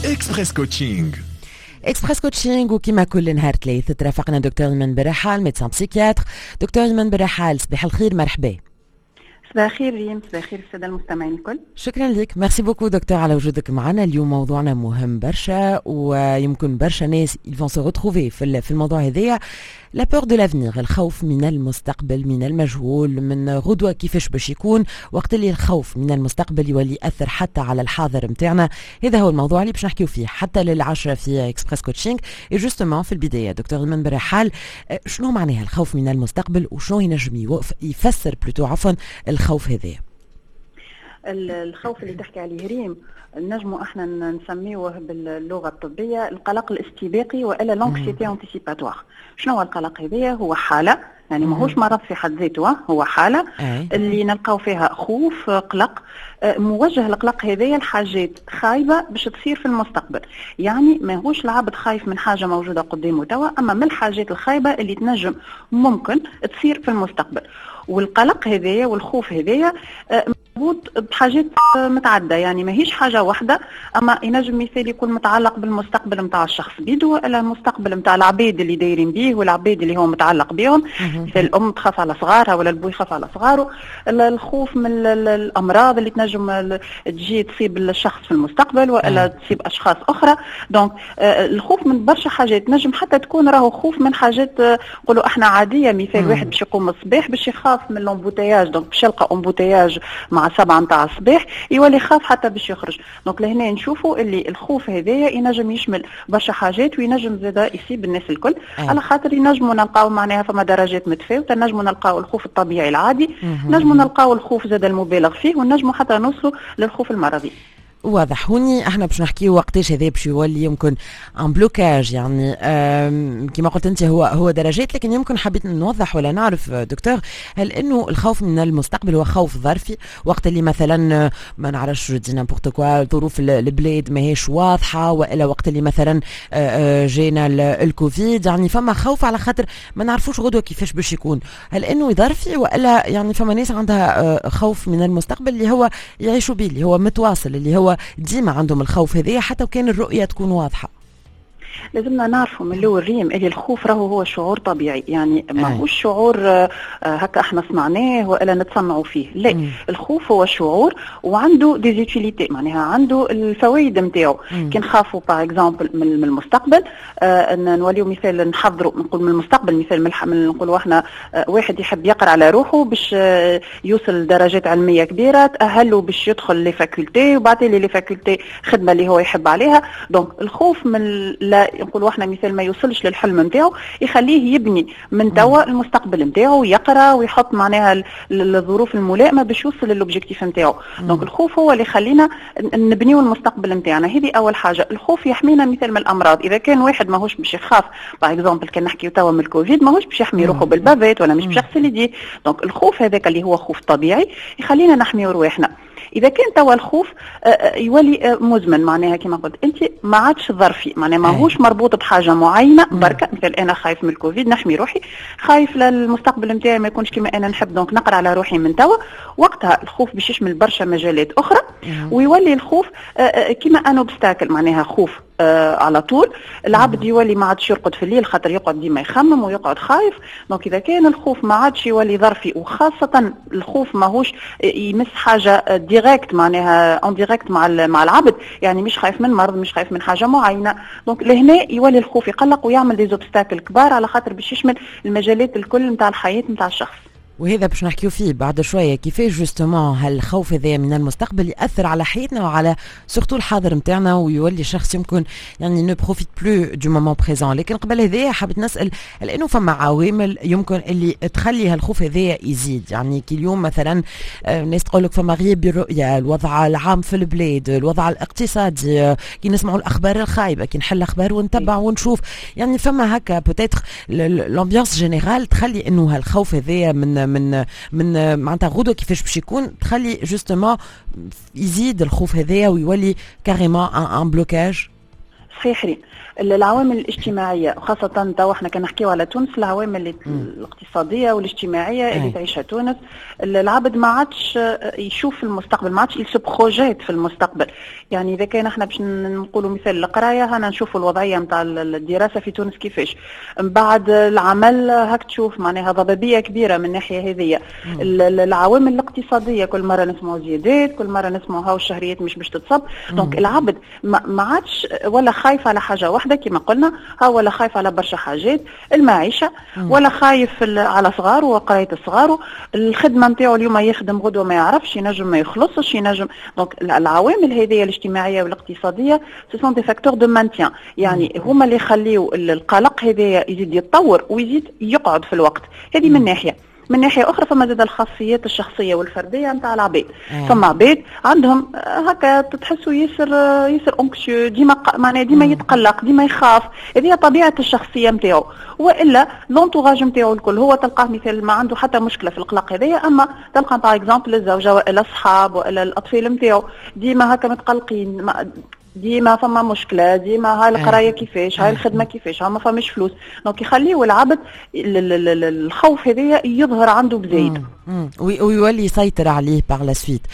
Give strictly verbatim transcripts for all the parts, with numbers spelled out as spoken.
Express Coaching. Express Coaching، وكما كل نهار ثلاث ترافقنا دكتور ايمان برحال، médecin psychiatre. دكتور ايمان برحال، صباح الخير، مرحبا. صباح الخير ريم، صباح الخير السادة المستمعين الكل. شكرا لك، merci beaucoup docteur على وجودك معنا اليوم. موضوعنا مهم برشا ويمكن برشا ناس ils vont se retrouver في في الموضوع هذايا، la peur de l'avenir، الخوف من المستقبل، من المجهول، من غدوه كيفاش باش يكون. وقت اللي الخوف من المستقبل يولي ياثر حتى على الحاضر نتاعنا، هذا هو الموضوع اللي باش نحكيو فيه حتى للعشرة في Express Coaching. et justement في البدايه، دكتور ايمان برحال، شنو معناها الخوف من المستقبل وشنو ينجم يفسر plutôt، عفوا، الخوف هذا؟ الخوف اللي تحكي عليه ريم نجموا احنا نسميوه باللغة الطبية القلق الاستباقي والا l'anxiété anticipatoire. شنو هو القلق هذايا؟ هو حاله، يعني ماهوش مرض في حد ذاته، هو حاله اللي نلقاو فيها خوف، قلق آه، موجه. القلق هذايا لحاجات خايبة باش تصير في المستقبل، يعني ماهوش العبد خايف من حاجة موجودة قدامه توا، اما من الحاجات الخايبة اللي تنجم ممكن تصير في المستقبل. والقلق هذايا والخوف هذايا آه، مربوط بحاجات متعدده، يعني ماهيش حاجة واحده، اما ينجم مثال يكون متعلق بالمستقبل نتاع الشخص بيدو ولا المستقبل نتاع العبيد اللي دايرين بيه والعبيد اللي هو متعلق بهم. مثال الام تخاف على صغارها ولا البو يخاف على صغاره. الخوف من الامراض اللي تنجم تجي تصيب الشخص في المستقبل والا تصيب اشخاص اخرى. donc آه، الخوف من برشا حاجات، نجم حتى تكون راهو خوف من حاجات آه، نقولوا احنا عاديه. مثال واحد باش يقوم الصباح باش يخاف من l'embouteillage، donc باش يلقى embouteillage مع سبعة نتاع الصباح يولي خاف حتى باش يخرج. donc لهنا نشوفوا اللي الخوف هذايا ينجم يشمل برشا حاجات وينجم زادا يصيب الناس الكل أه. على خاطر ينجموا نلقاو معناها فما درجات متفاوته. نجموا نلقاو الخوف الطبيعي العادي، نجموا نلقاو الخوف زاد المبالغ فيه، ونجموا حتى نوصلوا للخوف المرضي. واضح. هوني احنا باش نحكيو وقتاش هذا باش يولي يمكن un blocage، يعني كما قلت انت هو هو درجات، لكن يمكن حبيت نوضح ولا نعرف دكتور، هل انه الخوف من المستقبل هو خوف ظرفي وقت اللي مثلا ما نعرفش، je dis n'importe quoi، ظروف البلاد ماهيش واضحه، والا وقت اللي مثلا آه، آه، جينا الكوفيد، يعني فما خوف على خاطر ما نعرفوش غدوه كيفاش باش يكون؟ هل انه ظرفي والا يعني فما ناس عندها آه، خوف من المستقبل اللي هو يعيشوا به، اللي هو متواصل، اللي هو ديما عندهم الخوف هذايا حتى وكان الرؤية تكون واضحة؟ لازمنا نعرفوا من الاول ريم اللي الخوف راهو هو شعور طبيعي، يعني ماهوش شعور آه، هكا احنا صنعناه والا نتصنعوا فيه، لا. مم. الخوف هو شعور وعنده des utilités، معناها عنده الفوائد نتاعو. كي نخافوا par exemple من المستقبل آه نوليو مثال نحضروا، نقول من المستقبل، مثال من نقولوا احنا آه واحد يحب يقرا على روحه باش آه يوصل لدرجات علمية كبيرة تاهله باش يدخل les facultés، وبعد les facultés خدمة اللي هو يحب عليها. donc الخوف من لا نقولوا احنا مثال ما يوصلش للحلم نتاعو يخليه يبني من توا المستقبل نتاعو، يقرا ويحط معناها الظروف الملائمة باش يوصل لل objectif نتاعو. donc الخوف هو اللي يخلينا نبنيو المستقبل نتاعنا. هذه اول حاجه. الخوف يحمينا مثال من الامراض. اذا كان واحد ماهوش باش يخاف، par exemple كان نحكيو توا من الكوفيد، ماهوش باش يحمي روحه بال bavette ولا مش باش يغسل يديه. donc الخوف هذاك اللي هو خوف طبيعي يخلينا نحميو رواحنا. اذا كان توا الخوف آه، آه، يولي آه، مزمن، معناها كما قلت انت ما عادش ظرفي، معناها ماهوش مربوط بحاجة معينة بركه. مثل انا خايف من الكوفيد نحمي روحي، خايف للمستقبل نتاعي ما يكونش كما انا نحب، donc نقرا على روحي من توا. وقتها الخوف باش يشمل برشا مجالات اخرى ويولي الخوف كما un obstacle، معناها خوف آه على طول. العبد يولي ما عادش يرقد في الليل خاطر يقعد ديما يخمم ويقعد خايف. donc اذا كان الخوف ما عادش يولي ظرفي، وخاصة الخوف ماهوش يمس حاجة directe، معناها en direct مع مع العبد، يعني مش خايف من مرض، مش خايف من حاجة معينه، donc لهنا يولي الخوف يقلق ويعمل des obstacles كبار على خاطر باش يشمل المجالات الكل نتاع الحياة نتاع الشخص. وهذا باش نحكيو فيه بعد شويه، كيفاش justement هالخوف هذا من المستقبل ياثر على حياتنا وعلى surtout الحاضر نتاعنا، ويولي شخص يمكن يعني ne profite plus du moment présent. لكن قبل هذايا حبيت نسال، لانه فما عوامل يمكن اللي تخلي هالخوف هذايا يزيد، يعني كي اليوم مثلا آه، الناس تقول لك فما غياب بالرؤيه، الوضع العام في البلاد، الوضع الاقتصادي، آه، كي نسمعوا الاخبار الخايبه، كي نحل الاخبار ونتبع ونشوف، يعني فما هكا peut-être l'ambiance générale تخلي انه هالخوف هذايا من من من معناتها غدوه كيفاش باش يكون، تخلي justement يزيد الخوف هذايا ويولي carrément un blocage. صحيح ريم، العوامل الاجتماعية خاصة تو احنا كان نحكيو على تونس، العوامل الاقتصادية والاجتماعية اللي تعيشها تونس، العبد ما عادش يشوف المستقبل، ما عادش il se projette في المستقبل. يعني اذا كان احنا باش نقولوا مثال القراية، هنا نشوفوا الوضعية نتاع الدراسة في تونس كيفاش، من بعد العمل هاك تشوف معناها ضبابية كبيرة من الناحية هذه. العوامل الاقتصادية كل مرة نسمعوا زيادات، كل مرة نسمعوا هاو الشهريات مش باش تتصب. donc العبد ما عادش ولا خايف على حاجة واحدة كما قلنا، ها ولا خايف على برشا حاجات، المعيشة، ولا خايف على صغاره وقرايه صغاره، الخدمة نتاعو اليوم يخدم غدوه ما يعرفش، ينجم ما يخلصش، ينجم. donc العوامل هذه الاجتماعية والاقتصادية ce sont des facteurs de maintien، يعني هما اللي يخليو القلق هذا يزيد يتطور ويزيد يقعد في الوقت. هذه من ناحية. من ناحية اخرى فما زاد الخاصيات الشخصية والفرديه نتاع العباد. فما عباد عندهم هكا تحسوا ياسر ياسر anxieux، ديما معناها ديما يتقلق، ديما يخاف، هذه طبيعة الشخصية نتاعو، والا l'entourage نتاعو الكل هو تلقاه مثال ما عنده حتى مشكلة في القلق هذايا، اما تلقى par exemple الزوجة والا الصحاب والا الاطفال نتاعو ديما هكا متقلقين، ديما فما مشكلة، ديما هاي القراية كيفاش، هاي الخدمة كيفاش، ها ما فماش فلوس. donc يخليو العبد الخوف هذايا يظهر عنده بزايد ويولي يسيطر عليه par la suite.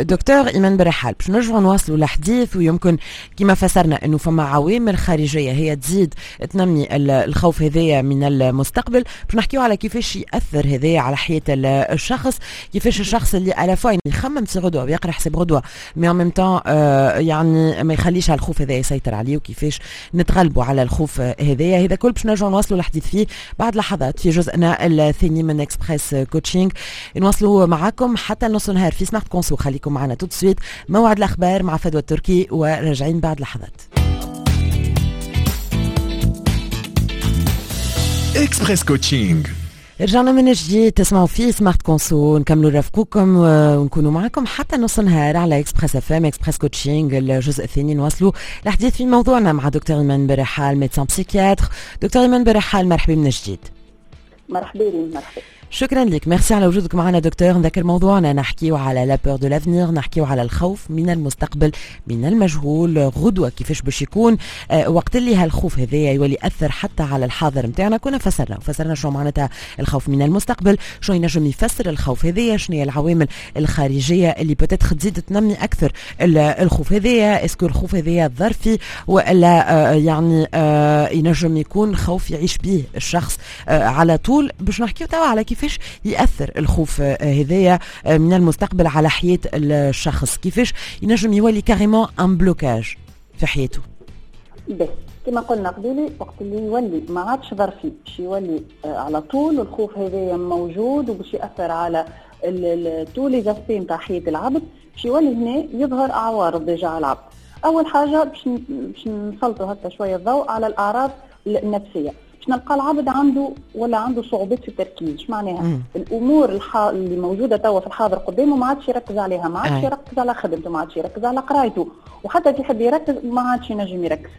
دكتور ايمان برحال، باش نرجعوا نواصلوا الحديث، ويمكن كما فسرنا انه فما عوامل خارجية هي تزيد تنمي الخوف هذايا من المستقبل، باش نحكيو على كيفاش ياثر هذايا على حياة الشخص، كيفاش الشخص اللي à la fois يخمم في غدوه ويقرا حساب غدوه mais en même temps يعني ما يخليش على الخوف هذا يسيطر عليه، وكيفاش نتغلبوا على الخوف هذايا. هذا كل باش نرجعوا نواصلوا الحديث فيه بعد لحظات في جزءنا الثاني من Express Coaching. نواصلوا معاكم حتى نص نهار في Smart Conso، خليكم معنا tout de suite. موعد الاخبار مع فدوى التركي وراجعين بعد لحظات. Express Coaching رجعنا من جديد، تسمعوا فيه Smart Conso، نكملوا رافقوكم ونكونوا معكم حتى نص نهار على Express FM. Express Coaching الجزء الثاني، نواصلوا الحديث في موضوعنا مع دكتور ايمان برحال، médecin psychiatre. دكتور ايمان برحال، مرحبا من جديد. مرحبا مرحبا، شكرا لك، ميرسي على وجودك معنا دكتور. نذكر موضوعنا، نحكيو على la peur de l'avenir، نحكيو على الخوف من المستقبل، من المجهول، غدوه كيفاش باش يكون، آه وقت اللي هالخوف هذايا يولي ياثر حتى على الحاضر نتاعنا. كنا فسرنا فسرنا شنو معناتها الخوف من المستقبل، شنو ينجم يفسر الخوف هذايا، شنو هي العوامل الخارجية اللي peut-être تزيد تنمي اكثر الخوف هذايا، est-ce que الخوف هذايا ظرفي والا آه يعني آه ينجم يكون خوف يعيش به الشخص آه على طول. باش نحكيو توا على كيف كيفاش يأثر الخوف هذايا من المستقبل على حياة الشخص، كيفاش ينجم يولي carrément un blocage في حياته. بس كما قلنا قبيلي، وقت اللي يولي ما عادش ظرفي، باش يولي على طول الخوف هذايا موجود وباش يأثر على tous les aspects نتاع حياة العبد، باش يولي هنا يظهر أعوارض déjà على العبد. أول حاجة باش باش نسلطوا هكا شوية الضوء على الأعراض النفسية، باش نلقى العبد عنده ولا عنده صعوبات في التركيز. اش معناها؟ مم. الامور الح... اللي موجودة توا في الحاضر قدامه ما عادش يركز عليها، ما عادش يركز على خدمته، ما عادش يركز على قرايته، وحتى كي يحب يركز ما عادش ينجم يركز.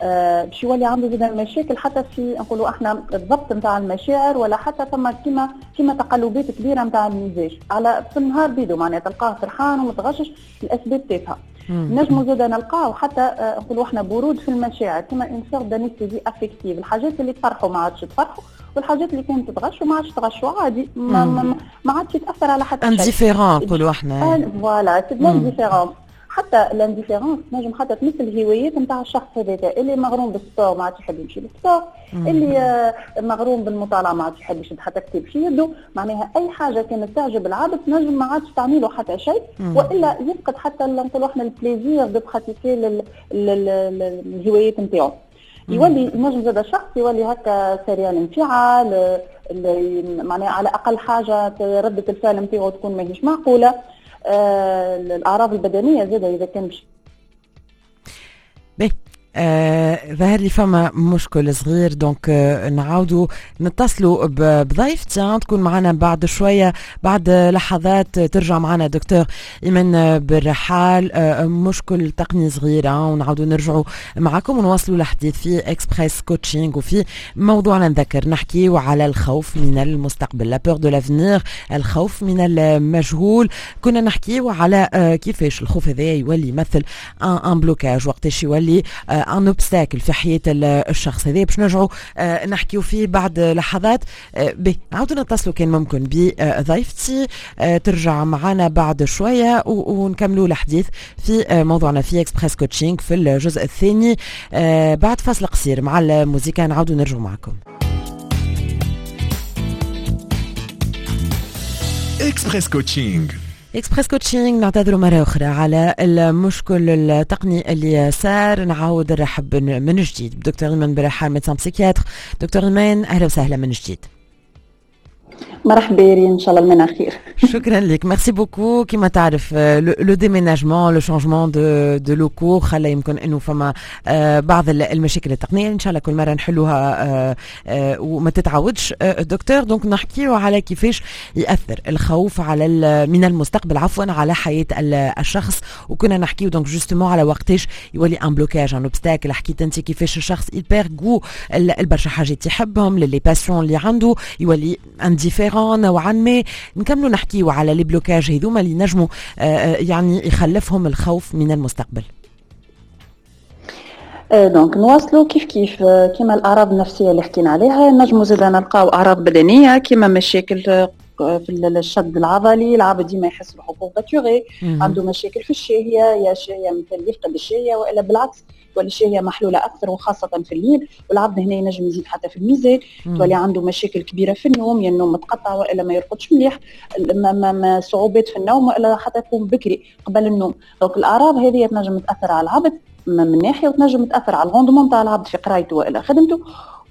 آه باش يولي عنده زاد مشاكل حتى في نقولوا احنا الضبط نتاع المشاعر، ولا حتى ثم كيما كيما تقلبات كبيرة نتاع المزاج على في النهار بيدو، معناها تلقاه فرحان ومتغشش الاسباب تافهة. نجمو زاد نلقاو حتى نقولوا احنا برود في المشاعر، كما une sorte d'anesthésie affective، الحاجات اللي تفرحوا ما عادش تفرحوا، والحاجات اللي كانت تغشوا ما عادش تغشوا، عادي ما, ما, ما عادش يتاثر على حتى شيء. indifférent نقولوا احنا، voilà c'est l'indifférence. حتى l'indifférence نجم حتى تمثل الهوايات نتاع الشخص هذاك، اللي مغروم بال sport ما عادش يحب يمشي لل sport، اللي مغروم بالمطالعه ما عادش يحب يشد حتى كتاب في يده، معناها اي حاجة كانت تعجب العبد نجم ما عادش تعمله حتى شيء، والا يفقد حتى نقولوا احنا ال plaisir de pratiquer الهوايات نتاعو. يولي نجم زاد الشخص يولي هكا سريع الانفعال، معناها على اقل حاجة رده الفعل نتاعو تكون ماهيش معقولة. آه الأعراض البدنية زادة إذا كان مش باهي. آه ظهر لي فما مشكل صغير، donc آه نعاودوا نتصلوا بضيفتي تكون معنا بعد شوية، بعد لحظات ترجع معنا دكتور ايمان بالرحال. آه مشكل تقني صغير ونعاودوا نرجعوا معكم ونواصلوا الحديث في Express Coaching وفي موضوعنا. نذكر نحكيو على الخوف من المستقبل، la peur de l'avenir، الخوف من المجهول. كنا نحكيو على آه كيفاش الخوف هذا يولي يمثل un blocage، وقتاش يولي آه un obstacle في حياة الشخص هذا؟ باش نرجعوا نحكيو فيه بعد لحظات. به نعاودوا نتصلوا كان ممكن بضيفتي ترجع معنا بعد شوية ونكملوا الحديث في موضوعنا في Express Coaching في الجزء الثاني بعد فاصل قصير مع الموسيقى. نعاودوا نرجعوا معكم. Express Coaching. Express Coaching، نعتذر مرة أخرى على المشكل التقني اللي صار. نعاود نرحب من جديد بدكتور إيمان برحال، médecin psychiatre. دكتور إيمان أهلا وسهلا من جديد. مرحبا ريم، ان شاء الله المنى خير. شكرا لك، merci beaucoup. كما تعرف le déménagement، le changement de de locaux خلى يمكن انه فما بعض المشاكل التقنية، ان شاء الله كل مرة نحلوها وما تتعودش دكتور. donc نحكيو على كيفاش ياثر الخوف على من المستقبل عفوا على حياة الشخص، وكنا نحكيو donc justement على وقتاش يولي un blocage، un obstacle. حكيت انت كيفاش الشخص il perd goût البرشا حاجات يحبهم، les passions اللي عنده يولي indifférent نوعا ما. نكملوا نحكيو على les blocages هذوما اللي نجموا يعني يخلفهم الخوف من المستقبل. donc نواصلوا كيف كيف كيما الاعراض النفسية اللي حكينا عليها، نجموا زاد نلقاو اعراض بدنية كيما مشاكل في الشد العضلي، العبد ديما يحس روحه courbaturé، عنده مشاكل في الشهية، يا شهية مثل يفقد الشهية والا بالعكس تولي الشهية محلولة اكثر وخاصة في الليل، والعبد هنا ينجم يزيد حتى في الميزان، تولي عنده مشاكل كبيرة في النوم، يا النوم متقطع والا ما يرقدش مليح، ما ما ما صعوبات في النوم والا حتى يقوم بكري قبل النوم. donc الاعراض هذه تنجم تاثر على العبد من ناحية، وتنجم تاثر على ال rendement تاع العبد في قرايته والا خدمته،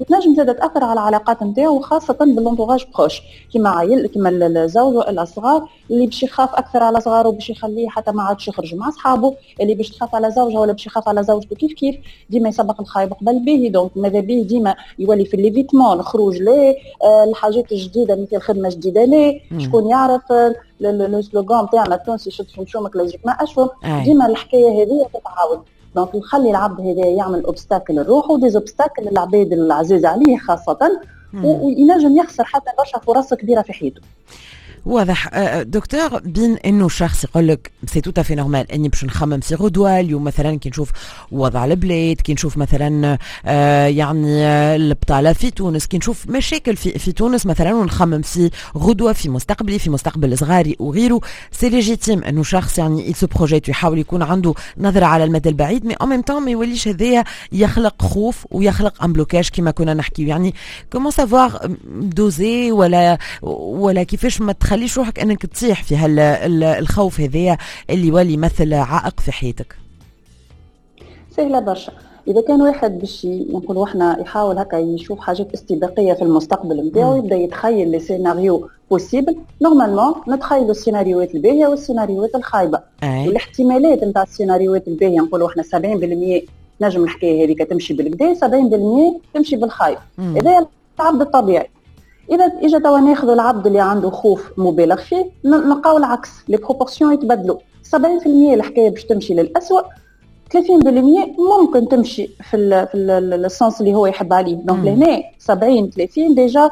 وتنجم زادة تأثر على العلاقات نتاعو خاصة بال entourage proche كيما عائل كيما الزوج والا الصغار، اللي باش يخاف أكثر على صغاره باش يخليه حتى ما عادش يخرج مع أصحابه، اللي باش تخاف على زوجها ولا باش يخاف على زوجته كيف كيف، ديما يسبق الخايب قبل به. donc ماذا به ديما يولي في l'évitement، الخروج ليه، الحاجات الجديدة مثل خدمة جديدة ليه، شكون يعرف le slogan تاعنا التونسي شد في مشومك لا يجيك ما أشوم، ديما الحكاية هذه تتعاود. donc نخلي العبد هذا يعمل obstacle لروحه، des obstacles للعباد العزيز عليه خاصة، وينجم يخسر حتى برشا فرص كبيرة في حياته. واضح دكتور. بين انه شخص يقول لك c'est tout à fait normal اني باش نخمم في غدوه اليوم، مثلا كي نشوف وضع البلاد، كي نشوف مثلا يعني البطالة في تونس، كي نشوف مشاكل في في تونس مثلا، ونخمم في غدوه في مستقبلي، في مستقبل صغاري وغيره، c'est légitime انه شخص يعني il se projette ويحاول يكون عنده نظره على المدى البعيد، mais en même temps ما يوليش هذايا يخلق خوف ويخلق un blocage كما كنا نحكيو. يعني comment savoir doser ولا ولا كيفاش ما تخلي خليش روحك انك تطيح في هالخوف هذايا اللي يولي يمثل عائق في حياتك؟ سهلة برشا. اذا كان واحد باش نقولوا احنا يحاول هكا يشوف حاجات استباقية في المستقبل نتاعو، يبدا يتخيل les scénarios possibles. normalement نتخيلوا السيناريوهات الباهيه والسيناريوهات الخايبة، والاحتمالات نتاع السيناريوهات الباهيه نقولوا احنا سبعين بالمية نجم الحكاية هذيك تمشي بالكدا، سبعين بالمية تمشي بالخايب. هذا العبد الطبيعي. اذا اجا توا ناخذ العبد اللي عنده خوف مبالغ فيه، نلقاو العكس، les proportions يتبدلوا، سبعين بالمية الحكاية باش تمشي للأسوأ، ثلاثين بالمية ممكن تمشي في ال في ال sens اللي هو يحب عليه. donc لهنا سبعين ثلاثين déjà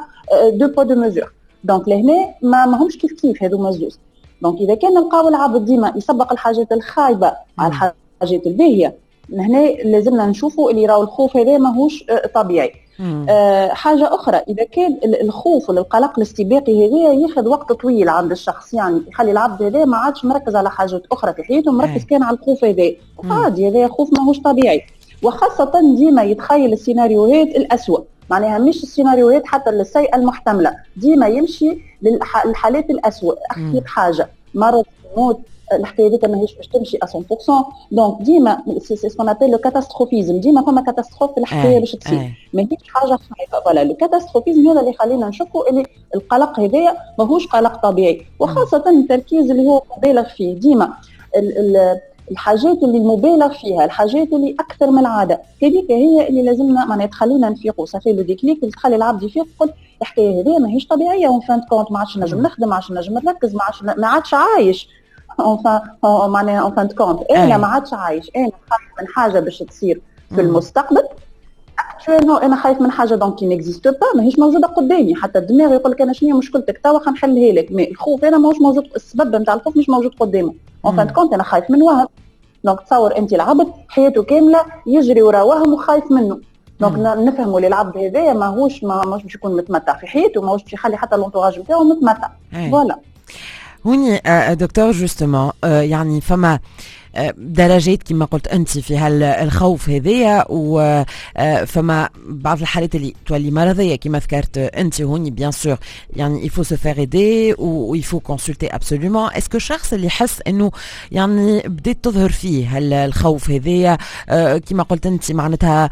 deux poids deux mesures. donc لهنا ما ماهمش كيف كيف هذوما الزوز. donc اذا كان نلقاو العبد ديما يسبق الحاجات الخايبة على الحاجات الباهيه، هنا لازمنا نشوفوا اللي راهو الخوف هذا ماهوش طبيعي. أه حاجة أخرى، إذا كان الخوف ولا القلق الاستباقي هذا ياخذ وقت طويل عند الشخص، يعني يخلي العبد هذا ما عادش مركز على حاجات أخرى في حياته، مركز كان على الخوف هذا. عادي، هذا خوف ماهوش طبيعي، وخاصة ديما يتخيل السيناريوهات الأسوأ، معناها مش السيناريوهات حتى السيئة المحتملة، ديما يمشي للحالات الأسوأ، أخيب حاجة، مرض، موت، الحكاية هذيك ماهيش باش تمشي مية بالمية. donc ديما c'est ce qu'on appelle le catastrophisme، ديما فما catastrophe في الحكاية باش تصير، ماهيش حاجة خايبة. voilà le catastrophisme هذا اللي يخلينا نشكوا اللي القلق هذايا ماهوش قلق طبيعي، وخاصة التركيز اللي هو مبالغ فيه. ديما الحاجات اللي المبالغ فيها، الحاجات اللي اكثر من العادة، هذيك هي اللي لازمنا معناها تخلينا نفيقوا. ça fait le déclic اللي تخلي العبد يفيق، يقول الحكاية هذه ماهيش طبيعية، en fin de compte ما عادش نجم نخدم، ما عادش نجم نركز، ما عادش ما عادش عايش. enfin معناها en fin de compte انا ما عادش عايش، انا خايف من حاجة باش تصير في المستقبل. actuellement انا خايف من حاجة donc qui n'existe pas، ماهيش موجودة قدامي. حتى الدماغ يقول لك انا شنو هي مشكلتك توا خلينا نحلها لك، mais الخوف انا ماهوش موجود، السبب نتاع الخوف مش موجود قدامه. en fin de compte انا خايف من وهم. donc تصور انت العبد حياته كاملة يجري ورا وهم وخايف منه. donc نفهموا اللي العبد هذايا ماهوش ماهوش باش يكون متمتع في حياته، ماهوش باش يخلي حتى l'entourage نتاعو متمتع. voilà هوني docteur justement يعني فما درجات كما قلت انت في هالخوف هذايا، وفما بعض الحالات اللي تولي مرضية كما ذكرت انت هوني. bien sûr يعني il faut se faire aider و il faut consulter absolument. est-ce que الشخص اللي يحس انه يعني بدات تظهر فيه الخوف هذايا كما قلت انت معناتها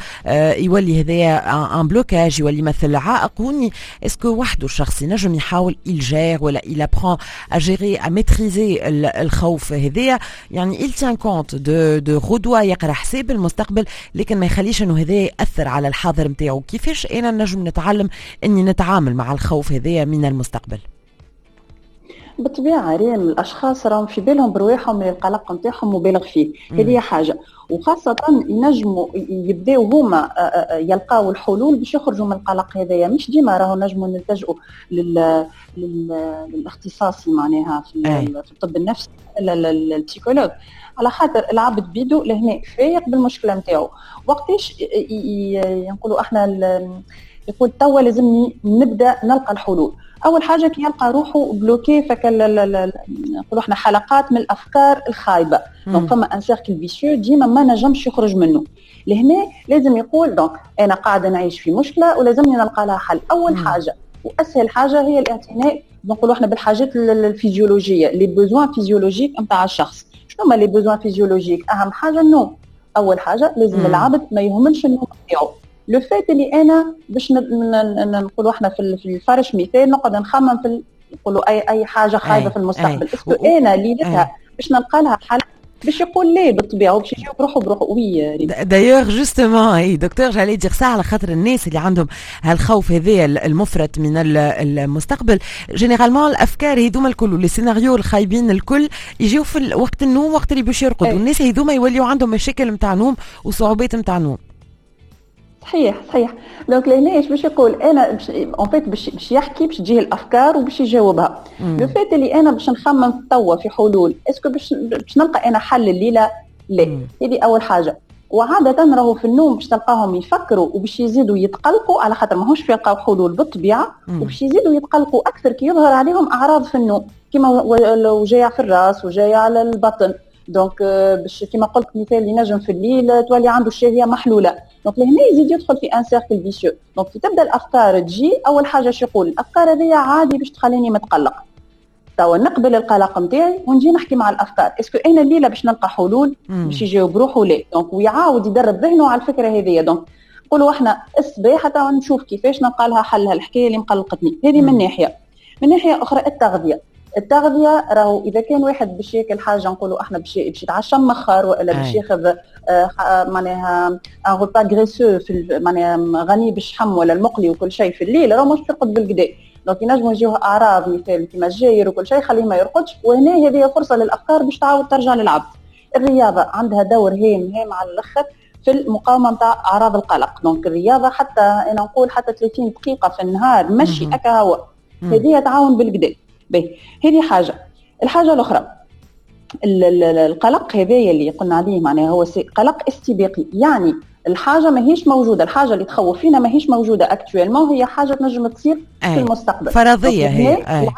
يولي هذايا un blocage، يولي مثل عائق هوني، est-ce que وحده الشخص ينجم يحاول il gère ولا il apprend à gérer à maîtriser الخوف هذايا، يعني il tient compte de de غدوه، يقرا حساب المستقبل لكن ما يخليش انه هذا ياثر على الحاضر نتاعو؟ كيفاش انا نجم نتعلم اني نتعامل مع الخوف هذايا من المستقبل؟ بالطبيعة ريم، الاشخاص راهم في بالهم برواحهم من القلق نتاعهم مبالغ فيه، هذه حاجة، وخاصة ينجموا يبداو هما يلقاو الحلول باش يخرجوا من القلق هذايا. مش ديما راهو نجموا نلتجئوا لل... لل... للاختصاصي معناها في, في الطب النفسي ال psychologue، على خاطر العبد بيدو لهنا فايق بالمشكلة نتاعو. وقتاش نقولوا احنا يقول توا لازمني نبدا نلقى الحلول؟ اول حاجة كي يلقى روحه bloqué، فكل نقولوا احنا حلقات من الافكار الخايبة، donc فما un cercle vicieux ديما ما نجمش يخرج منه. لهنا لازم يقول donc انا قاعدة نعيش في مشكلة ولازمني نلقى لها حل. اول مم. حاجة واسهل حاجة هي الاعتناء نقولوا احنا بالحاجات الفيزيولوجيه، les besoins physiologiques نتاع الشخص. شنو هما les besoins physiologiques؟ اهم حاجة النوم. اول حاجة لازم العبد ما يهملش النوم نتاعو. le fait اللي انا باش نقولوا احنا في الفرش مثال نقعد نخمم في نقولوا اي اي حاجة خايبة في المستقبل، est-ce que انا ليلتها باش نلقى لها حل؟ باش يقول ليه بالطبيعة وباش يجاوب روحه بروحه. oui d'ailleurs justement اي docteur j'allais dire ça، على خاطر الناس اللي عندهم هالخوف هذايا المفرط من المستقبل، généralement الافكار هذوما الكل، les scénarios الخايبين الكل يجيو في وقت النوم، وقت اللي باش يرقد، والناس هذوما يوليو عندهم مشاكل نتاع نوم وصعوبات نتاع نوم. صحيح صحيح. donc لهنا ايش باش يقول؟ انا en fait باش باش يحكي، باش تجيه الافكار وباش يجاوبها. le fait اللي انا باش نخمم توا في حلول، est-ce que باش باش نلقى انا حل الليلة؟ لا. هذه اول حاجة. وعاده راهو في النوم باش تلقاهم يفكروا وباش يزيدوا يتقلقوا، على خاطر ماهوش يلقاو حلول بالطبيعة، وباش يزيدوا يتقلقوا اكثر كي يظهر عليهم اعراض في النوم كيما وجاع في الراس وجاع على البطن. donc باش كيما قلت مثال ينجم في الليل تولي عنده الشهية محلولة. donc لهنا يزيد يدخل في un cercle vicieux. donc كي تبدا الافكار تجي، اول حاجة شو يقول؟ الافكار هذه عادي باش تخليني متقلق، توا نقبل القلق نتاعي ونجي نحكي مع الافكار، est-ce que انا الليلة باش نلقى حلول؟ باش يجاوب روحه لا. donc ويعاود يدرب ذهنه على الفكرة هذه. donc نقولوا احنا الصباح توا نشوف كيفاش نلقى لها حل هالحكايه اللي مقلقتني. هذه من ناحية. من ناحية اخرى التغذية. التغذية راهو اذا كان واحد باش ياكل حاجة نقولوا احنا باش باش يتعشى مخر والا باش ياخذ آه معناها un repas graisseux في معناها غني بالشحم ولا المقلي وكل شيء في الليل، راهو مش يرقد بالكدا. donc ينجموا يجيوه اعراض مثال كيما الجاير وكل شيء خليه ما يرقدش، وهنا هذه فرصة للافكار باش تعاود ترجع للعبد. الرياضة عندها دور هام هام على الاخر في المقاومة نتاع اعراض القلق. donc الرياضة حتى انا نقول حتى ثلاثين دقيقة في النهار مشي اكا هو، هذه تعاون بالكدا. باهي هذه حاجة. الحاجة الاخرى القلق هذايا اللي قلنا عليه معناها هو قلق استباقي، يعني الحاجة ماهيش موجودة، الحاجة اللي تخوف فينا ماهيش موجودة actuellement، هي حاجة تنجم تصير في المستقبل. فرضية هي. هي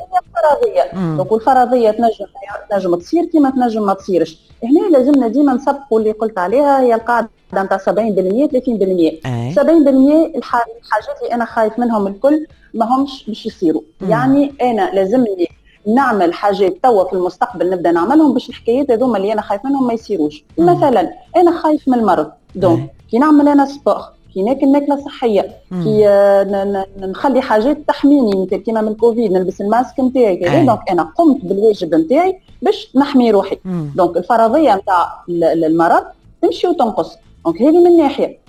فرضية. donc الفرضية تنجم تنجم تصير كيما تنجم ما تصيرش. هنا لازمنا ديما نسبقوا اللي قلت عليها، هي القاعدة نتاع سبعين بالمية ثلاثين بالمية. سبعين بالمية الحاجات اللي انا خايف منهم الكل ما همش باش يصيروا. يعني انا لازمني نعمل حاجات توا في المستقبل نبدا نعملهم باش الحكايات هذوما اللي انا خايف منهم ما يصيروش. مثلا انا خايف من المرض، donc كي نعمل انا sport، كي ناكل ماكله صحية، كي نخلي حاجات تحميني مثل كيما من الكوفيد نلبس الماسك نتاعي كذا، donc انا قمت بالواجب نتاعي باش نحمي روحي. donc الفرضية نتاع المرض تمشي وتنقص. donc هذه من ناحية.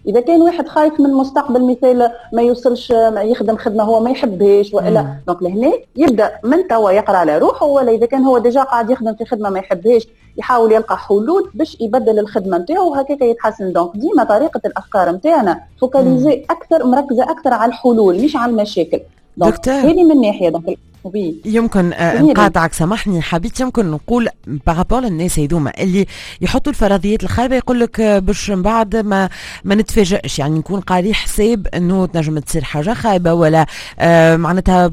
اذا كان واحد خايف من المستقبل مثال ما يوصلش ما يخدم خدمة هو ما يحبهاش والا، donc لهنا يبدا من توا يقرا على روحه، ولا اذا كان هو déjà قاعد يخدم في خدمة ما يحبهاش يحاول يلقى حلول باش يبدل الخدمة نتاعو وهكاك يتحسن. donc ديما طريقه الافكار نتاعنا focalisée اكثر، مركزه اكثر على الحلول مش على المشاكل. donc هذه من ناحية. donc oui. يمكن آه، نقاطعك، سامحني، حبيت يمكن نقول par rapport للناس هذوما اللي يحطوا الفرضيات الخايبه، يقول لك آه، باش من بعد ما ما نتفاجئش، يعني نكون قاري حساب انه تنجم تصير حاجة خايبه، ولا آه معناتها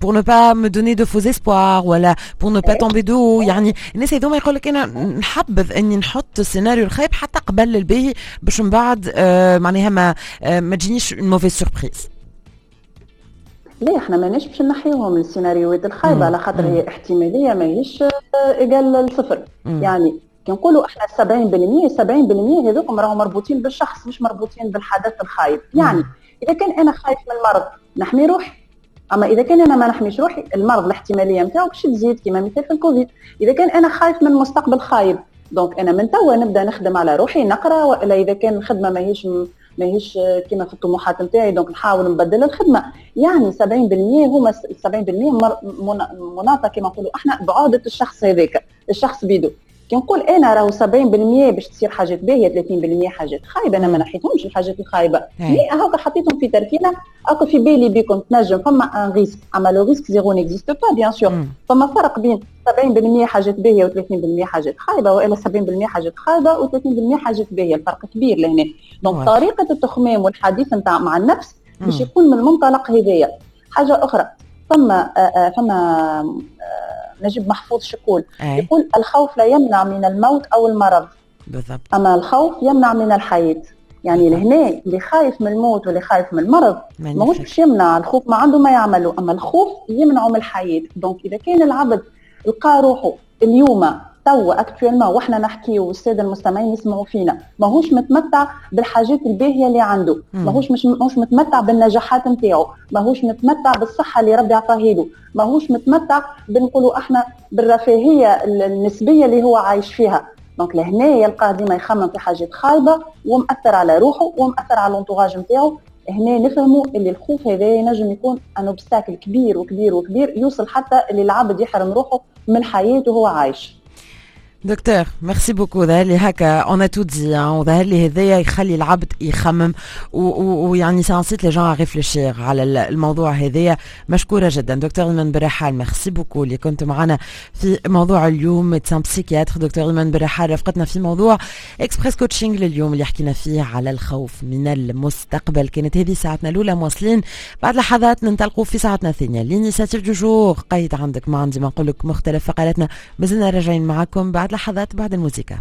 pour ne pas me donner de faux espoirs ولا pour ne pas tomber de haut. يعني الناس هذوما يقول لك انا نحبذ اني نحط السيناريو الخايب حتى قبل الباهي، باش من بعد آه معناها ما آه ما تجينيش mauvaise surprise. لا، احنا ماناش باش نحيوهم السيناريوهات الخايبه، على خاطر هي احتمالية ماهيش égale الصفر. يعني كي نقولوا احنا سبعين بالمية، سبعين بالمية هذوكم راهم مربوطين بالشخص، مش مربوطين بالحدث الخايب. يعني اذا كان انا خايف من المرض نحمي روحي، اما اذا كان انا ما نحميش روحي، المرض الاحتماليه نتاعو باش تزيد، كما مثال في الكوفيد. اذا كان انا خايف من مستقبل خايب، donc انا من توا نبدا نخدم على روحي، نقرا، والا اذا كان الخدمة ماهيش ماهيش كما في الطموحات نتاعي، donc نحاول نبدل الخدمه. يعني سبعين بالمية هما سبعين بالمية مناطه كما نقولوا احنا بعهده الشخص هذاك، الشخص بيدو. كي نقول انا راهو سبعين بالمية باش تصير حاجات باهيه، ثلاثين بالمية حاجات خايبه، انا ما نحيتهمش الحاجات الخايبه، mais هاكا حطيتهم في تركينه، هاكا في بالي بكم تنجم فما un risque، اما le risque zéro n'existe pas bien sûr. فما فرق بين سبعين بالمية حاجات باهيه وثلاثين بالمية حاجات خايبه، والا سبعين بالمية حاجات خايبة وثلاثين بالمية حاجات باهيه، الفرق كبير لهنا. donc طريقه التخمام والحديث نتاع مع النفس باش يكون من المنطلق هذايا. حاجة اخرى، فما آه، آه، فما آه، نجيب محفوظ شقول؟ يقول: الخوف لا يمنع من الموت او المرض. بالضبط. اما الخوف يمنع من الحياه. يعني لهنا اللي خايف من الموت واللي خايف من المرض ماهوش باش يمنع، الخوف ما عنده ما يعمله، اما الخوف يمنعه من الحياه. donc اذا كان العبد لقى روحه اليوم توا actuellement واحنا نحكي والسادة المستمعين يسمعوا فينا، ماهوش متمتع بالحاجات الباهيه اللي عنده، ماهوش مش ماهوش متمتع بالنجاحات نتاعو، ماهوش متمتع بالصحة اللي ربي عطاها له، ماهوش متمتع بنقولوا احنا بالرفاهيه النسبية اللي هو عايش فيها، donc لهنا يلقاه ديما يخمم في حاجات خايبة ومأثر على روحه ومأثر على l'entourage نتاعو. هنا نفهموا اللي الخوف هذا ينجم يكون un obstacle كبير وكبير وكبير، يوصل حتى اللي العبد يحرم روحه من حياته وهو عايش. docteur، merci beaucoup. ظهر لي هكا on a tout dit، وظهر لي هذايا يخلي العبد يخمم، ويعني ça incite les gens à réfléchir على الموضوع هذايا. مشكورة جدا دكتور ايمن برحال، merci beaucoup اللي كنت معنا في موضوع اليوم، médecin psychiatre دكتور ايمن برحال رافقتنا في موضوع Express Coaching لليوم اللي حكينا فيه على الخوف من المستقبل. كانت هذه ساعتنا الاولى، مواصلين بعد لحظات ننطلقوا في ساعتنا الثانيه. l'initiative du jour، قيد عندك، ما عندي ما نقول لك، مختلف فقراتنا، مازلنا راجعين معكم بعد لحظات بعد الموسيقى.